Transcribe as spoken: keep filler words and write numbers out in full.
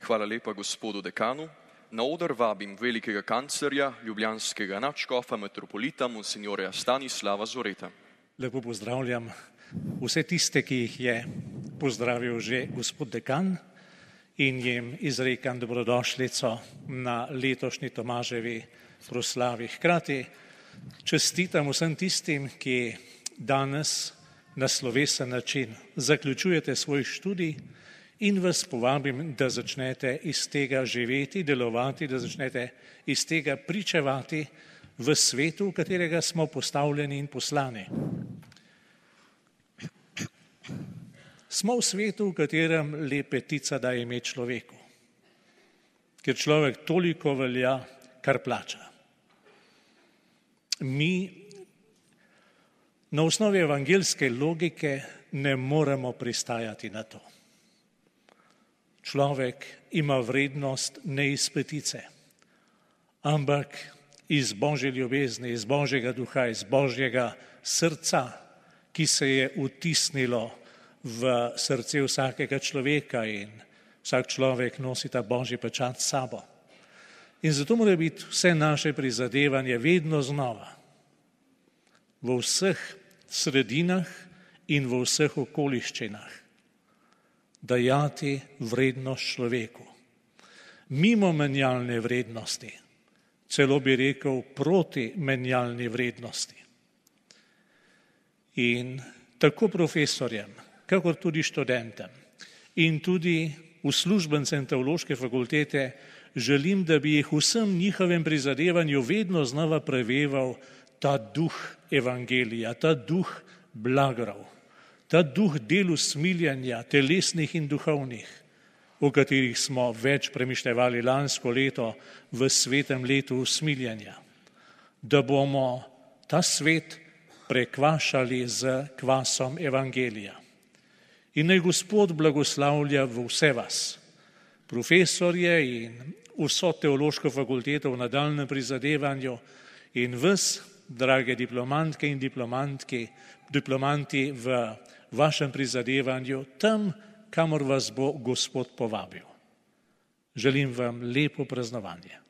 Hvala lepa gospodu dekanu. Na oder vabim velikega kanclerja, ljubljanskega nadškofa metropolita monsignorja Stanislava Zoreta. Lepo pozdravljam vse tiste, ki jih je pozdravil že gospod dekan in jim izrekam dobrodošlico na letošnji Tomaževi proslavi. Hkrati čestitam vsem tistim, ki danes na slovesen način zaključujete svoj študij in vas povabim, da začnete iz tega živeti, delovati, da začnete iz tega pričevati v svetu, v katerega smo postavljeni in poslani. Smo v svetu, v katerem lepetica daje ime človeku, ker človek toliko velja, kar plača. Mi na osnovi evangeljske logike ne moremo pristajati na to. Človek ima vrednost ne iz petice, ampak iz Božje ljubezni, iz Božjega duha, iz Božjega srca, ki se je vtisnilo v srce vsakega človeka in vsak človek nosi ta Božji pečat s sabo. In zato mora biti vse naše prizadevanje vedno znova v vseh sredinah in v vseh okoliščinah dajati vrednost človeku. Mimo menjalne vrednosti, celo bi rekel proti menjalni vrednosti. In tako profesorjem, kakor tudi študentem in tudi uslužbencem teološke fakultete želim, da bi jih vsem njihovem prizadevanju vedno znova preveval ta duh evangelija, ta duh blagrov, ta duh del usmiljanja, telesnih in duhovnih, o katerih smo več premišljevali lansko leto v svetem letu usmiljanja, da bomo ta svet prekvašali z kvasom evangelija. In naj Gospod blagoslavlja v vse vas, profesorje in vso teološko fakulteto v nadaljnjem prizadevanju in vas, drage diplomantke in diplomantki, diplomanti v vašem prizadevanju tam, kamor vas bo Gospod povabil. Želim vam lepo praznovanje.